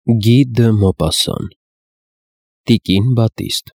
Գի դը Մոպասան, Տիկին Բատիստ,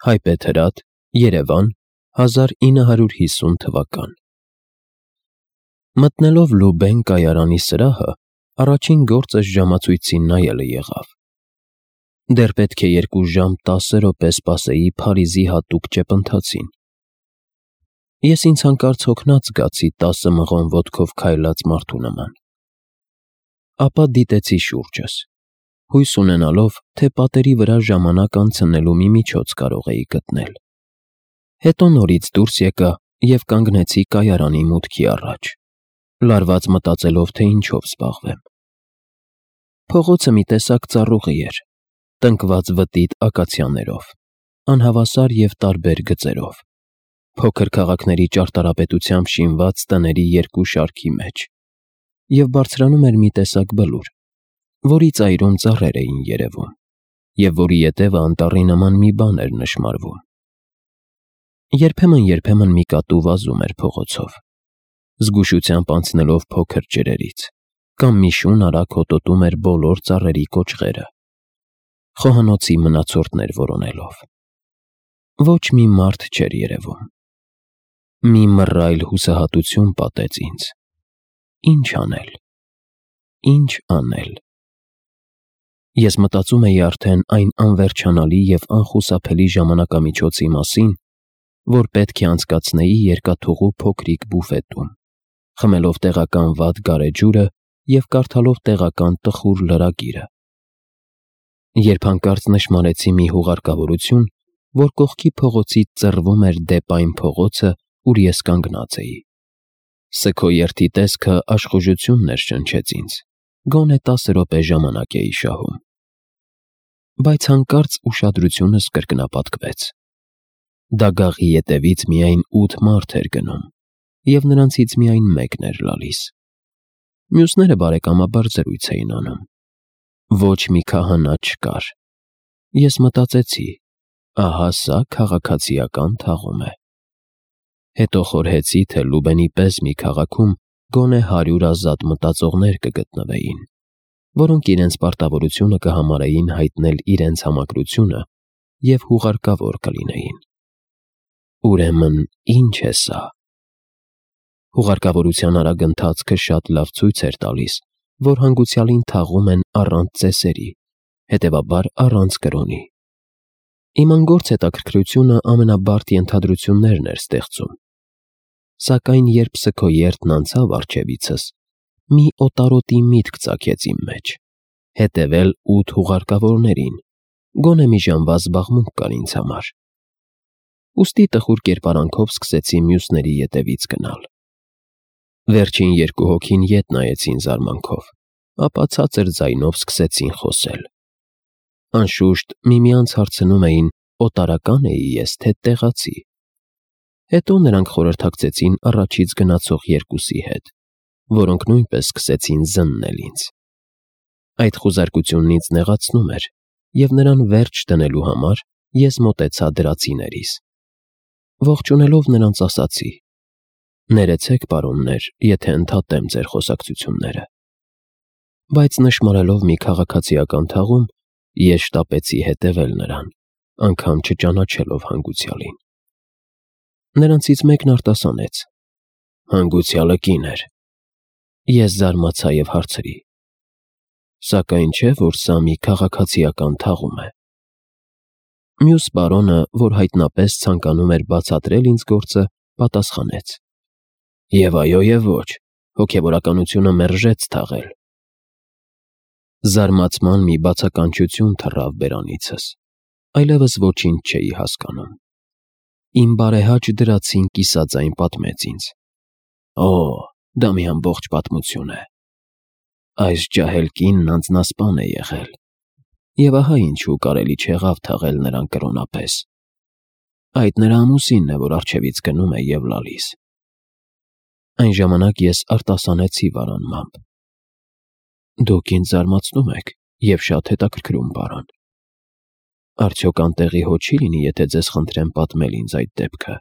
Հայբեթ Հրատ, Երևան, 1950 թվական։ Մտնելով Լուբեն կայարանի սրահը, առաջին գործս ժամացույցին նայելը եղավ։ Դեռ պետք է 2 ժամ 10 րոպե սպասեի Փարիզի հատուկ ճեպընթացին։ Ես ինձ հանկարծ հոգնած զգացի 10 մղոն ոտքով քայլած մարդու նման։ Ապա դիտեցի շուրջս, հույս ունենալով, թե պատերի վրա ժամանակ անցնելու մի միջոց կարող էի գտնել։ Հետո նորից դուրս եկա և կանգնեցի կայարանի մուտքի առաջ, լարված մտածելով, թե ինչով զբաղվեմ։ Փողոցը մի տեսակ ծառուղի էր, տնկված վտիտ ակացիաներով, անհավասար և տարբեր գծերով, փոքր քաղաքների ճարտարապետությամբ շինված տների 2 շարքի մեջ, և բարձրանում էր մի տեսակ բլուր, որի ծայրում ծառեր էին երևում, և որի ետևը անտառի նման մի բան էր նշմարվում։ Երբեմն մի կատու վազում էր փողոցով, զգուշությամբ անցնելով փոքր ջրերից, կամ մի շուն արագ հոտոտում էր բոլոր ծառերի կոճղերը, խոհանոցի մնացորդներ որոնելով։ Ոչ մի մարդ չէր երևում։ Մի մռայլ հուսահատություն պատեց ինձ։ Ինչ անել։ Ինչ անել։ Ես մտածում էի արդեն այն անվերջանալի և անխուսափելի ժամանակամիջոցի մասին, որ պետք է անցկացնեի երկաթուղու փոքրիկ բուֆետում, խմելով տեղական վատ գարեջուրը և կարդալով տեղական տխուր լրագիրը, երբ հանկարծ նշմարեցի մի հուղարկավորություն, որ կողքի փողոցից ծռվում էր դեպ այն փողոցը, ուր ես կանգնած էի։ Սգո երթի տեսքը աշխուժություն ներշնչեց ինձ, գոնե 10 րոպե ժամանակ էի շահում։ Բայց հանկարծ ուշադրությունս կրկնապատկվեց։ Դագաղի ետևից միայն 8 մարդ էր գնում, և նրանցից միայն մեկն էր լալիս։ Մյուսները բարեկամաբար զրույց էին անում։ Ոչ մի քահանա չկար։ Ես մտածեցի. ահա սա քաղաքացիական թաղում է։ Հետո խորհեցի, թե Լուբենի պես մի քաղաքում գոնե 100 ազատ մտածողներ կգտնվեին, որոնք իրենց պարտավորությունը կհամարեին հայտնել իրենց համակրությունը և հուղարկավոր կլինեին։ Ուրեմն ի՞նչ է սա։ Հուղարկավորության արագ ընթացքը շատ լավ ցույց էր տալիս, որ հանգուցյալին թաղում են առանց ծեսերի, հետևաբար առանց կրոնի։ Իմ անգործ հետաքրքրությունը ամենաբարդ ենթադրություններն էր ստեղծում։ Սակայն երբ սգո երթն անցավ առջևիցս, մի օտարոտի միտք ծագեց իմ մեջ՝ հետևել 8 հուղարկավորներին, գոնե մի ժամվա զբաղմունք կար ինձ համար։ Ուստի տխուր կերպարանքով սկսեցի մյուսների ետևից գնալ։ Վերջին 2 հոգին ետ նայեցին զարմանքով, ապա ցածր ձայնով սկսեցին խոսել։ Անշուշտ միմյանց հարցնում էին՝ օտարակա՞ն էի ես, թե տեղացի։ Հետո նրանք խորհրդակցեցին առաջից գնացող 2-ի հետ, որոնք նույնպես սկսեցին զննել ինձ։ Այդ խուզարկությունն ինձ նեղացնում էր, և նրան վերջ դնելու համար ես մոտեցա դրացիներիս։ Ողջունելով նրանց ասացի. «Ներեցեք, պարոններ, եթե ընդհատեմ ձեր խոսակցությունները»։ Բայց նշմարելով մի քաղաքացիական թաղում, ես շտապեցի հետևել նրան, անգամ չճանաչելով հանգուցյալին։ Նրանցից մեկն արտասանեց. «Հանգուցյալը կին էր»։ Ես զարմացա և հարցրի. «Սակայն չէ, որ սա մի քաղաքացիական թաղում է»։ Մյուս պարոնը, որ հայտնապես ցանկանում էր բացատրել ինձ գործը, պատասխանեց. «Եվ այո, և ոչ, հոգևորականությունը մերժեց թաղել»։ Զարմացման մի բացականչություն թռավ բերանիցս, այլևս ոչինչ չէի հասկանում։ Իմ բարեհաճ դրացին կիսաձայն պատմեց ինձ. «Օ, դա մի ամբողջ պատմություն է։ Այս ջահել կինն անձնասպան է եղել, և ահա ինչու կարելի չեղավ թաղել նրան կրոնապես։ Այդ նրա ամուսինն է, որ առջևից գնում է և լալիս»։ Այն ժամանակ ես արտասանեցի վարանմամբ. «Դուք ինձ զարմացնում եք և շատ հետաքրքրում, պարոն։ Արդյոք անտեղի հո չի լինի, եթե ձեզ խնդրեմ պատմել ինձ այդ դեպքը։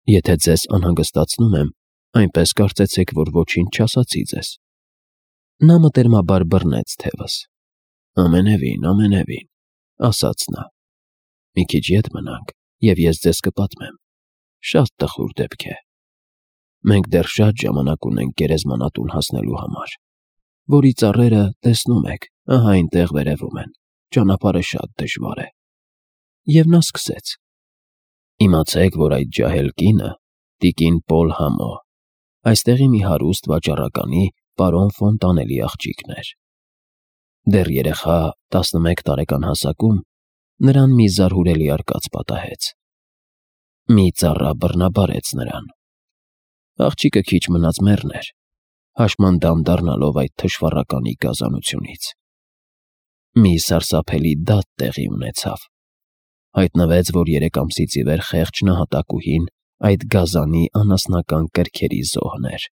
Եթե ձեզ անհանգստացնում եմ, այնպես կարծեցեք, որ ոչինչ չասացի ձեզ»։ Նա մտերմաբար բռնեց թևս։ Ամենևին, ասաց նա։ Մի քիչ ետ մնանք, և ես ձեզ կպատմեմ։ Շատ տխուր դեպք է։ Մենք դեռ շատ ժամանակ ունենք գերեզմանատուն հասնելու համար, որի ծառերը, տեսնում եք, ահա այնտեղ վերևում են, ճանապարհը շատ դժվար է։ Եվ նա սկսեց. Իմացեք, որ այդ ջահել կինը տիկին Պոլ Համո, այստեղի մի հարուստ վաճառականի պարոն Ֆոնտանելի աղջիկն էր։ Դեռ երեխա 11 տարեկան հասակում նրան մի զարհուրելի արկած պատահեց։ Մի ծառա բռնաբարեց նրան։ Աղջիկը քիչ մնաց մեռներ, հաշմանդամ դառնալով այդ թշվառականի գազանությունից։ Մի սարսափելի դատ տեղի ունեցավ։ Հայտնվեց, որ 3 ամսից ի վեր խեղճ նահատակուհին այդ գազանի անասնական կրքերի զոհն էր։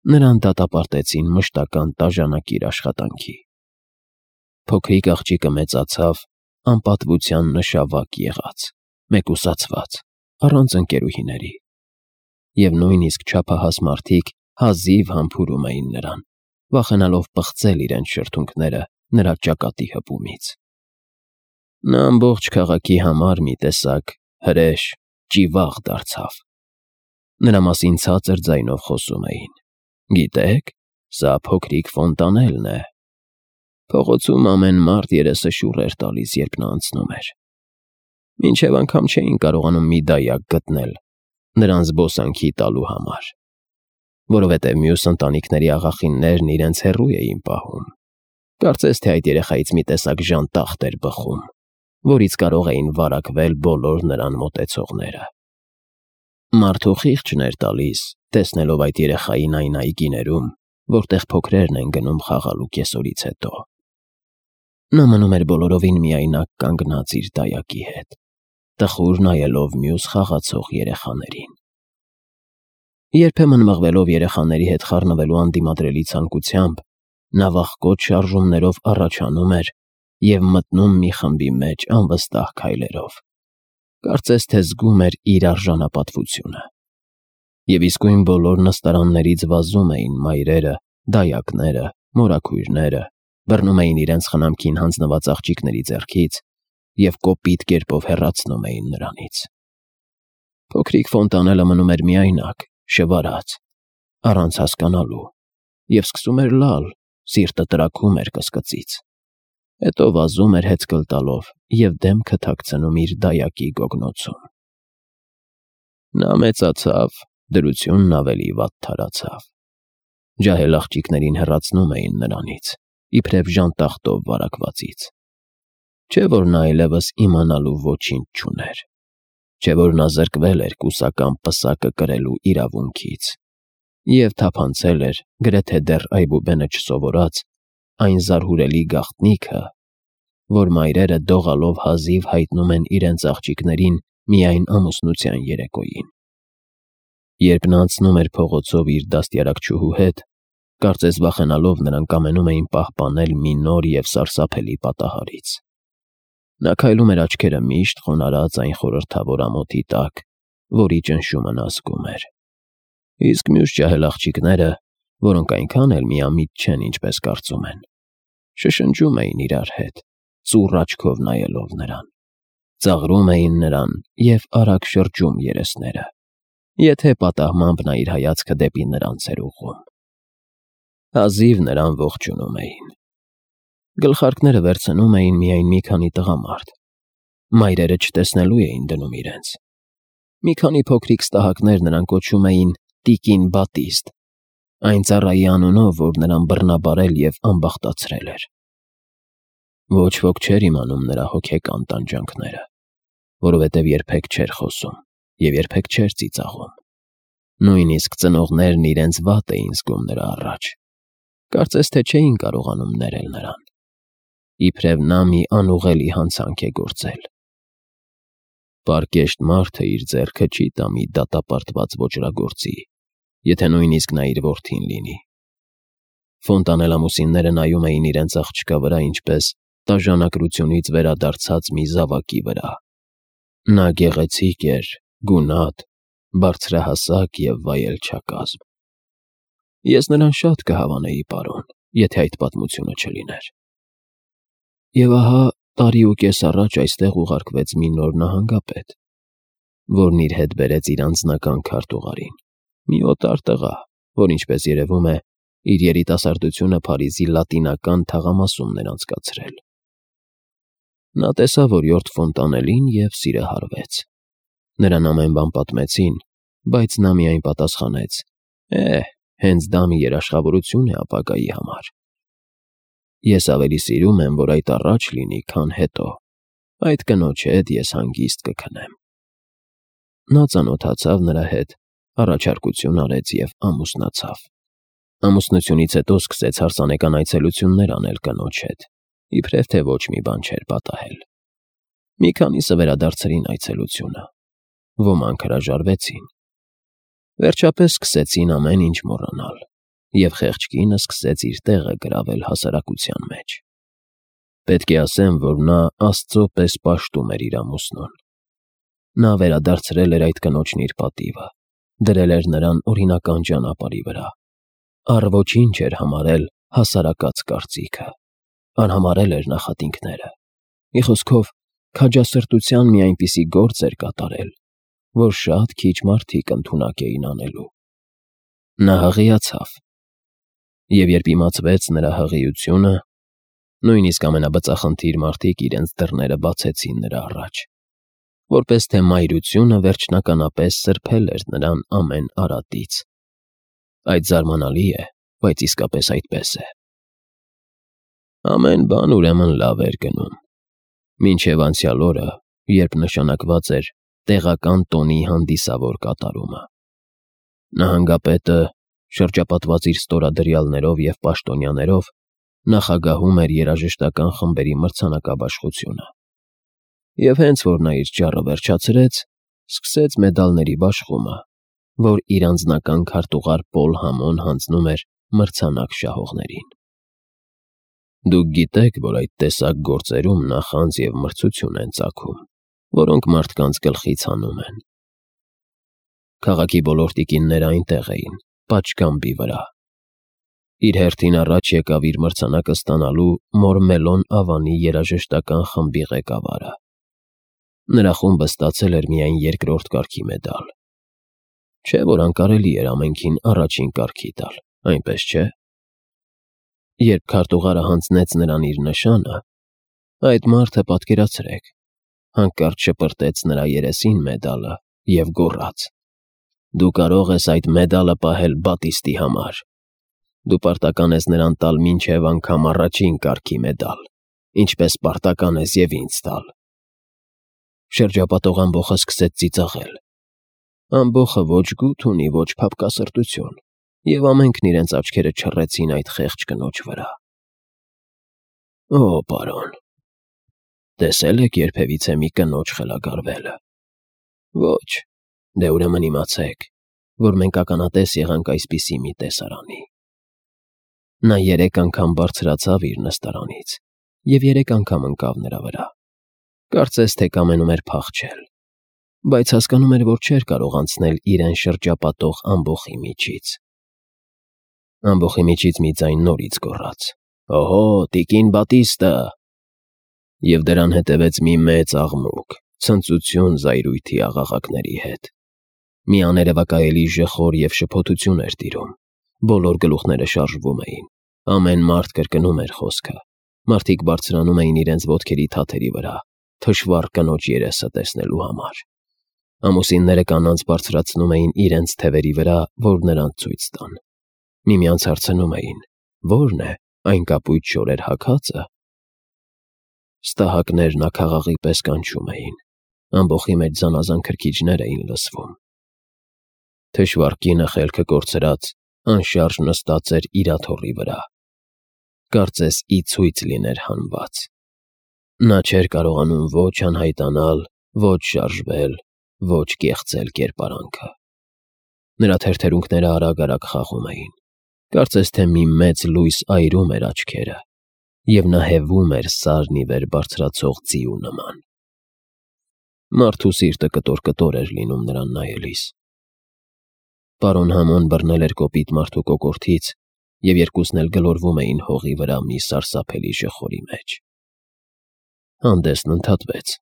Նրան դատապարտեցին մշտական տաժանակիր աշխատանքի։ Փոքրիկ աղջիկը մեծացավ, անպատվության նշավակ եղած, մեկուսացված, առանց ընկերուհիների։ Եվ նույնիսկ չափահաս մարդիկ հազիվ համբուրում էին նրան, վախենալով պղծել իրենց շրթունքները նրա ճակատի հպումից։ Նա ամբողջ քաղաքի համար մի տեսակ հրեշ, ճիվաղ դարձավ։ Նրա մասին ցածր ձայնով խոսում էին. Գիտեք, սա փոքրիկ Ֆոնտանելն է։ Փողոցում ամեն մարդ երեսը շուռ էր տալիս, երբ նա անցնում էր։ Մինչև անգամ չէին կարողանում մի դայակ գտնել նրան զբոսանքի տալու համար, որովհետև մյուս ընտանիքների աղախիններն իրենց հեռու էին պահում։ Կարծես թե այդ երեխայից մի տեսակ ժանտախտ էր բխում, որից կարող էին վարակվել բոլոր նրան մոտեցողները։ Մարդու խիղճն էր տալիս, տեսնելով այդ երեխային այն այգիներում, որտեղ փոքրերն են գնում խաղալու կեսօրից հետո։ Նա մնում էր բոլորովին միայնակ կանգնած իր դայակի հետ, տխուր նայելով մյուս խաղացող երեխաներին։ Երբեմն մղվելով երեխաների հետ խառնվելու անդիմադրելի ցանկությամբ, նա վախկոտ շարժումներով առաջանում էր և մտնում մի խմբի մեջ անվստահ քայլերով։ Կարծես թե զգում էր իր արժանապատվությունը։ Եվ իսկույն բոլոր նստարաններից վազում էին մայրերը, դայակները, մորաքույրները, բռնում էին իրենց խնամքին հանձնված աղջիկների ձեռքից և կոպիտ կերպով հեռացնում էին նրանից։ Փոքրիկ Ֆոնտանելը մնում էր միայնակ, շվարած, առանց հասկանալու, և սկսում էր լալ, սիրտը տրաքում էր կսկծից։ Հետո վազում էր հեծկլ տալով և դեմքը թաքցնում իր դայակի գոգնոցում։ Նա մեծացավ, դրությունն ավելի վատթարացավ։ Ջահել աղջիկներին հեռացնում էին նրանից, իբրև ժանտախտով վարակվածից։ Չէ՞ որ նա այլևս իմանալու ոչինչ չուներ։ Չէ՞ որ նա զրկվել էր կուսական պսակը կրելու իրավունքից և թափանցել էր, գրեթե դեռ այբուբենը չսովորած, այն զարհուրելի գաղտնիքը, որ մայրերը դողալով հազիվ հայտնում են իրենց աղջիկներին միայն ամուսնության երեկոյին։ Երբ նա անցնում էր փողոցով իր դաստիարակչուհու հետ, կարծես վախենալով նրանք ամենում էին պահպանել մի նոր և սարսափելի պատահարից։ Նա քայլում էր աչքերը միշտ խոնարհած այն խորհրդավոր ամոթի տակ, որի ճնշումը նա զգում էր։ Իսկ մյուս ջահել աղջիկները, որոնք այնքան էլ միամիտ չեն, ինչպես կարծում են, շշնջում էին իրար հետ, ծուռ աչքով նայելով նրան, ծաղրում էին նրան և արագ շրջում երեսները, եթե պատահմամբ նա իր հայացքը դեպի նրանց էր ուղղում։ Հազիվ նրան ողջունում էին։ Գլխարկները վերցնում էին միայն մի քանի տղամարդ։ Մայրերը չտեսնելու էին դնում իրենց։ Մի քանի փոքրիկ ստահակներ նրան կոչում էին տիկին Բատիստ, այն ծառայի անունով, որ նրան բռնաբարել և ամբախտացրել էր։ Ոչ ոք չէր իմանում նրա հոգեկան տանջանքները, որովհետև երբեք չէր խոսում և երբեք չէր ծիծաղում։ Նույնիսկ ծնողներն իրենց վատ էին զգում նրա առաջ։ Կարծես թե չէին կարողանում ներել նրան։ Իբրև նա մի անուղելի հանցանք է գործել։ Պարկեշտ մարդը իր ձեռքը չի տա մի դատապարտված ոճրագործի, եթե նույնիսկ նա իր որդին լինի։ Ֆոնտանելամուսինները նայում էին իրենց աղջկա վրա ինչպես տաժանակրությունից վերադարձած մի զավակի վրա։ Նա գեղեցիկ էր, գունատ, բարձրահասակ և վայելչակազմ։ Ես նրան շատ կհավանեի, պարոն, եթե այդ պատմությունը չլիներ։ Եվ ահա տարի ու կես առաջ այստեղ ուղարկվեց մի նոր նահանգապետ, որն իր հետ բերեց իր անձնական քարտուղարին, մի օտար տղա, որ, ինչպես երևում է, իր երիտասարդությունը Փարիզի լատինական թաղամասումն էր անցկացրել։ Նա տեսավ, որ Յորթ Ֆոնտանելին և սիրահարվեց։ Նրան ամեն բան պատմեցին, բայց նա միայն պատասխանեց. հենց դա մի երաշխավորություն է ապագայի համար։ Ես ավելի սիրում եմ, որ այդ առաջ լինի, քան հետո։ Այդ կնոջ հետ ես հանգիստ կքնեմ։ Նա ծանոթացավ նրա հետ, առաջարկություն արեց և ամուսնացավ։ Ամուսնությունից հետո սկսեց հարսանեկան այցելություններ անել կնոջ հետ, իբրև թե ոչ մի բան չէր պատահել։ Մի քանիսը վերադարձրին այցելությունը, ոմանք հրաժարվեցին։ Վերջապես սկսեցին ամեն ինչ մոռանալ, և խեղճ կինը սկսեց իր տեղը գրավել հասարակության մեջ։ Պետք է ասեմ, որ նա Աստծո պես պաշտում էր իր ամուսնուն։ Նա վերադարձրել էր այդ կնոջն իր պատիվը, դրել էր նրան օրինական ճանապարհի վրա, առ ոչինչ էր համարել հասարակած կարծիքը, արհամարհել էր նախատինքները։ Մի խոսքով, քաջասրտության մի այնպիսի գործ էր կատարել, որ շատ քիչ մարդիկ ընդունակ էին անելու։ Նա հղիացավ, և երբ իմացվեց նրա հղիությունը, նույնիսկ ամենաբծախնդիր մարդիկ իրենց դռները բացեցին նրա առաջ, որպես թե մայրությունը վերջնականապես սրբել էր նրան ամեն արատից։ Այդ զարմանալի է, բայց իսկապես այդպես է։ Ամեն բան ուրեմն լավ էր գնում, մինչև անցյալ օրը, երբ նշանակված էր տեղական տոնի հանդիսավոր կատարումը։ Նահանգապետը, շրջապատված իր ստորադրյալներով և պաշտոնյաներով, նախագահում էր երաժշտական խմբերի մրցանակաբաշխությունը։ Եվ հենց որ նա իր ճառը վերջացրեց, սկսեց մեդալների բաշխումը, որ իր անձնական քարտուղար Պոլ Համոն հանձնում էր մրցանակ շահողներին։ Դուք գիտեք, որ այդ տեսակ գործերում նախանձ և մրցություն են ծագում, որոնք մարդկանց գլխից հանում են։ Քաղաքի բոլոր տիկինները այնտեղ էին, պատշգամբի վրա։ Իր հերթին առաջ եկավ իր մրցանակը ստանալու Մորմելոն Ավանի երաժշտական խմբի ղեկավարը։ Նրա խումբը ստացել էր միայն երկրորդ կարգի մեդալ։ Չէ՞ որ անկարելի էր ամենքին առաջին կարգի տալ, այնպես չէ՞։ Երբ քարտուղարը հանձնեց նրան իր նշանը, այդ մարդը, պատկերացրեք, հանկարծ շպրտեց նրա երեսին մեդալը և գոռաց. «Դու կարող ես այդ մեդալը պահել Բատիստի համար։ Դու պարտական ես նրան տալ մինչև անգամ առաջին կարգի մեդալ, ինչպես պարտական ես և ինձ տալ»։ Շրջապատող ամբոխը սկսեց ծիծաղել։ Ամբոխը ոչ գութ ունի, ոչ փափկասրտություն, և ամենքն իրենց աչքերը չռեցին այդ խեղճ կնոջ վրա։ Օ, պարոն, տեսե՞լ եք երբևիցե մի կնոջ խելագարվելը։ Ոչ, դե ուրեմն իմացեք, որ մենք ականատես եղանք այսպիսի մի տեսարանի։ Նա 3 անգամ բարձրացավ իր նստարանից և 3 անգամ ընկավ նրա վրա։ Կարծես թե կամենում էր փախչել, բայց հասկանում էր, որ չէր կարող անցնել իրեն շրջապատող ամբոխի միջից։ Ամբոխի միջից մի ձայն նորից գոռաց. «Օհո, տիկին Բատիստը»։ Եվ դրան հետևեց մի մեծ աղմուկ, ցնծություն զայրույթի աղաղակների հետ։ Մի աներևակայելի ժխոր և շփոթություն էր տիրում։ Բոլոր գլուխները շարժվում էին։ Ամեն մարդ կրկնում էր խոսքը։ Մարդիկ բարձրանում էին իրենց ոտքերի թաթերի վրա, թշվառ կնոջ երեսը տեսնելու համար։ Ամուսինները կանանց բարձրացնում էին իրենց թևերի վրա, որ նրանց ցույց տան։ Միմյանց հարցնում էին. «Ո՞րն է, այն կապույտ շորեր հագածը»։ Ստահակներն աքաղաղի պես կանչում էին։ Ամբոխի մեջ զանազան քրքիջներ էին լսվում։ Թշվառ կինը խելքը կորցրած, անշարժ նստած էր իր աթոռի վրա, կարծես ի ցույց լիներ հանված։ Նա չէր կարողանում ոչ անհայտանալ, ոչ շարժվել, ոչ կեղծել կերպարանքը։ Նրա թերթերունքները արագ-արագ խաղում էին, կարծես թե մի մեծ լույս այրում էր աչքերը, և նա հևում էր սարն ի վեր բարձրացող ձիու նման։ Մարդու սիրտը կտոր-կտոր էր լինում նրան նայելիս։ Պարոն Համոն բռնել էր կոպիտ մարդու կոկորդից, և երկուսն էլ գլորվում էին հողի վրա մի սարսափելի ժխորի մեջ։ Հանդեսն ընդհատվեց։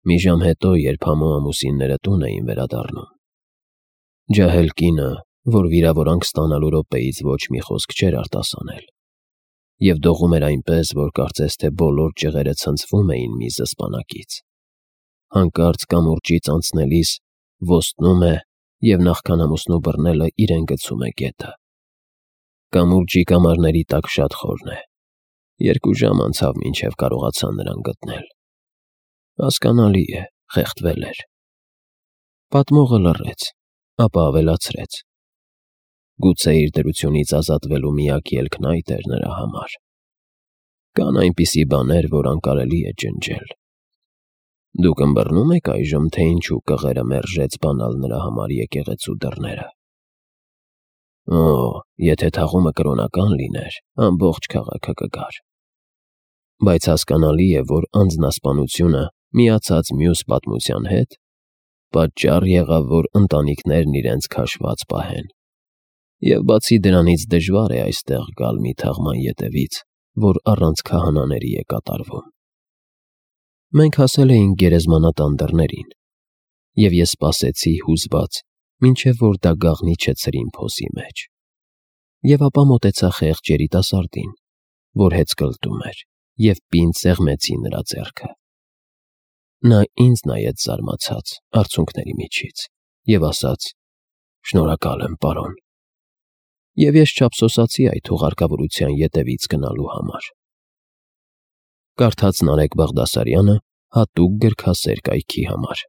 Մի ժամ հետո, երբ Համո ամուսինները տուն էին վերադառնում, ջահել կինը, որ վիրավորանք ստանալու րոպեից ոչ մի խոսք չէր արտասանել, և դողում էր այնպես, որ կարծես թե բոլոր ճղերը ցնցվում էին մի զսպանակից, հանկարծ կամուրջից անցնելիս ոստնում է և նախքան ամուսնու բռնելը իրեն գցում է գետը։ Կամուրջի կամարների տակ շատ խորն է։ 2 ժամ անցավ, մինչև կարողացան նրան գտնել։ Հասկանալի է, խեղդվել էր։ Պատմողը լռեց, ապա ավելացրեց. Գուցե իր դրությունից ազատվելու միակ ելքն այդ էր նրա համար։ Կան այնպիսի բաներ, որ անկարելի է ջնջել։ Դուք ըմբռնում եք այժմ, թե ինչու կղերը մերժեց բանալ նրա համար եկեղեցու դռները։ Օ, եթե թաղումը կրոնական լիներ, ամբողջ քաղաքը կգար։ Բայց հասկանալի է, որ անձնասպանությունը, միացած մյուս պատմության հետ, պատճառ եղավ, որ ընտանիքներն իրենց քաշված պահեն։ Եվ բացի դրանից դժվար է այստեղ գալ մի թաղման ետևից, որ առանց քահանաների է կատարվում։ Մենք հասել էինք գերեզմանատան դռներին, և ես սպասեցի հուզված, մինչև որ դա գաղտնի չցրին փոսի մեջ։ Եվ ապա մոտեցա խեղճ երիտասարդին, որ հեծկլտում էր, և պինդ սեղմեցի նրա ձեռքը։ Նա ինձ նայեց զարմացած արցունքների միջից և ասաց. «Շնորհակալ եմ, պարոն»։ Եվ ես չափսոսացի այդ հուղարկավորության ետևից գնալու համար։ Կարդաց Նարեկ Բաղդասարյանը հատուկ գրքասեր կայքի համար։